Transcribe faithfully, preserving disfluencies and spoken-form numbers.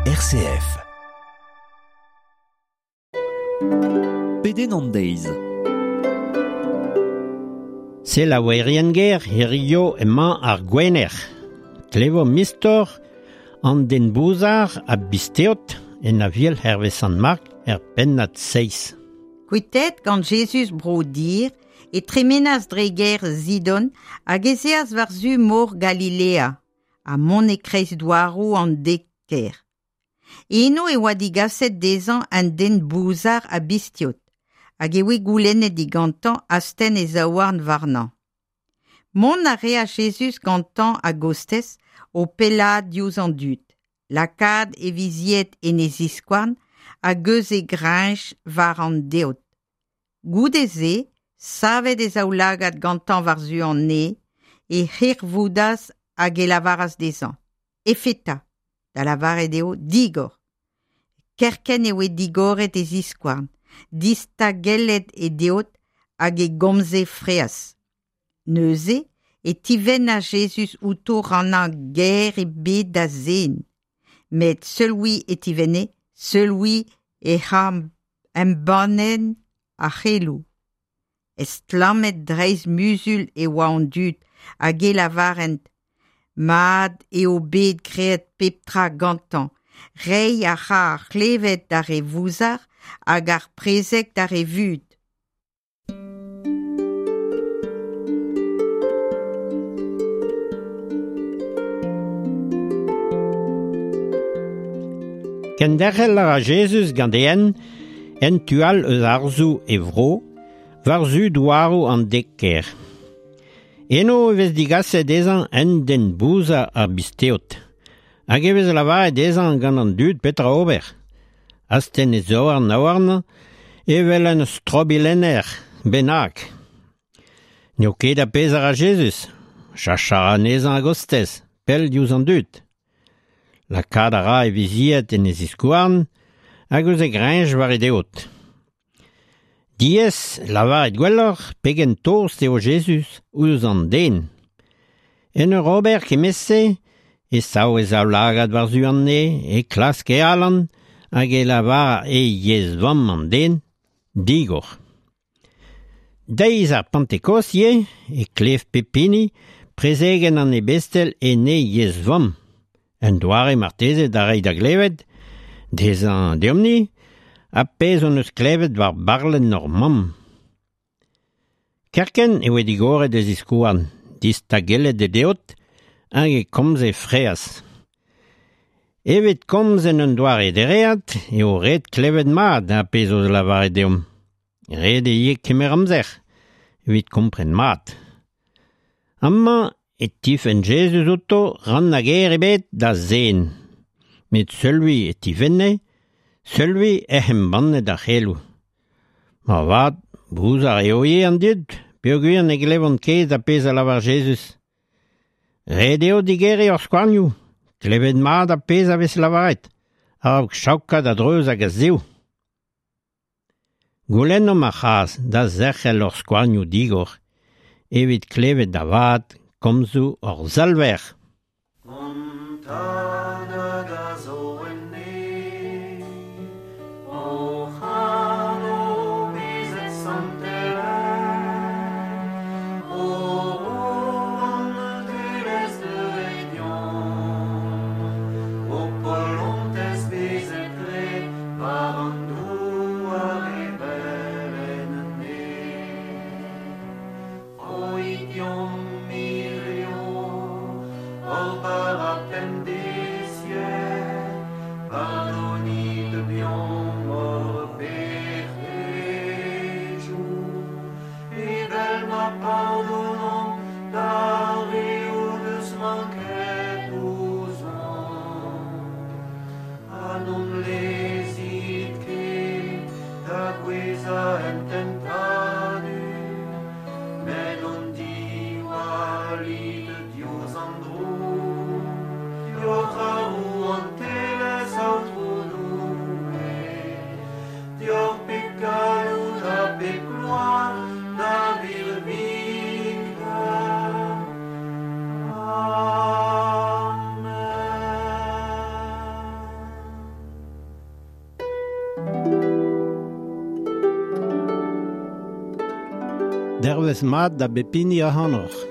R C F. Pedenn an deiz. Selaouerien ger hirio emañ ar Gwener. Klevo mistor an den bouzar a bisteot en aviel Hervé Sant-Marc er pennad seizh. Kuitet gant Jezuz bro dir e tremenas dre ger Zidon hag ez eas war-zu mor Galilea ha mont e kreiz douaroù an dek ker. Eno e oa digaset dezhañ an den bouzar a bistiot, hag e oe goulennet digantañ astenn e zaouarn warnañ. Mont a rea Jezuz gantañ a-gostez o pellaat diouzh an dud, lakaat e vizied en e ziskouarn hag eus e greñch war an deod. Goude-se, savet e zaoulagad gantañ war-zu an neñv, e hirvoudas hag e lavaras dezhañ. Efeta, da lavaret eo digor. Kerkent e oe digoret e ziskouarn, distagellet e deod hag e gomze freaz. Neuze e tivenna Jezuz outo rannañ ger ebet da zen. Met seul-vui e tivenne, seul-vui e c'ha embannen ar c'heloù. Estlammet dreist muzul e oa an dud hag e lavarent Mat eo bet graet pep tra gantañ, reiñ a ra ar c'hlevet d'ar re vouzar hag ar prezeg d'ar re vud. Kenderc'hel a ra Jezuz gant e en, en tu all eus arzoù e vro, war-zu douaroù an dek ker. Eno e vez digaset dezhañ en den bouzar ar bisteot. Hag e vez lavaret dezhañ gant an dud petra ober. Astenn e zaouarn aouarn evel un strobilenner bennak. N'eo ket a pezh a ra Jezuz. Chachañ a ra anezhañ a-gostez, pell diouzh an dud. Lakaat a ra e vizied en e ziskouarn hag eus e greñch war e deod. Diaes lavaret gwelloc'h pegen tost eo Jezuz ouzh an den. En ur ober kement-se e sav e zaoulagad war-zu an neñv, e klask e alan hag e lavar e yezh vamm an den, digor. Deiz ar Pentekost ivez e klev pep hini prezegenn an ebestel en e yezh vamm. Un doare marteze da reiñ da glevet, dezhañ deomp-ni, ha pezh hon eus klevet war barlenn hor mamm. Kerkent e oe digoret e ziskouarn, distagellet e deod, hag e komze freaz. Evet komz en un doare dereat eo ret klevet mat ha pezh o lavaret deomp. Ret eo ivez kemer amzer, evit kompren mat. Amañ e tifenn Jezuz outo rann hag ger ebet da zen. Met seul-vui e tifenne, seul-vui ec'h embannet ar c'heloù. Ma vat, bouzar eo ivez an dud, peogwir ne glevont ket ar pezh a lavar Jezuz. Ret eo digeriñ hor skouarnioù, klevet mat ar pezh a vez lavaret, a-raok chaokat a-dreuz hag a-zehoù. Goulennomp ar c'hras da zerc'hel hor skouarnioù digor, evit klevet da vat komzoù hor Salver. Para Dervez mat da bep hini ac'hanoc'h.